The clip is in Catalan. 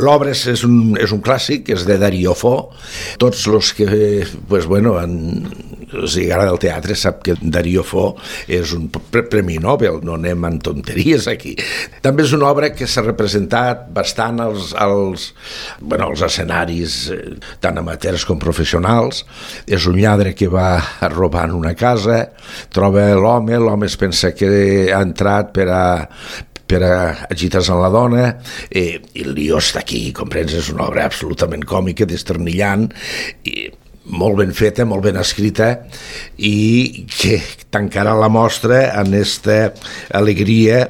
L'obra és un clàssic, és de Dario Fo. Tots els que els agrada el teatre sap que Dario Fo és un premi Nobel, no anem en tonteries aquí. També és una obra que s'ha representat bastant als escenaris, tant amateurs com professionals. És un lladre que va robar en una casa, troba l'home es pensa que ha entrat per a agitar-se amb la dona, i el lió està aquí, comprens? És una obra absolutament còmica, desternillant, i molt ben feta, molt ben escrita, i que tancarà la mostra en aquesta alegria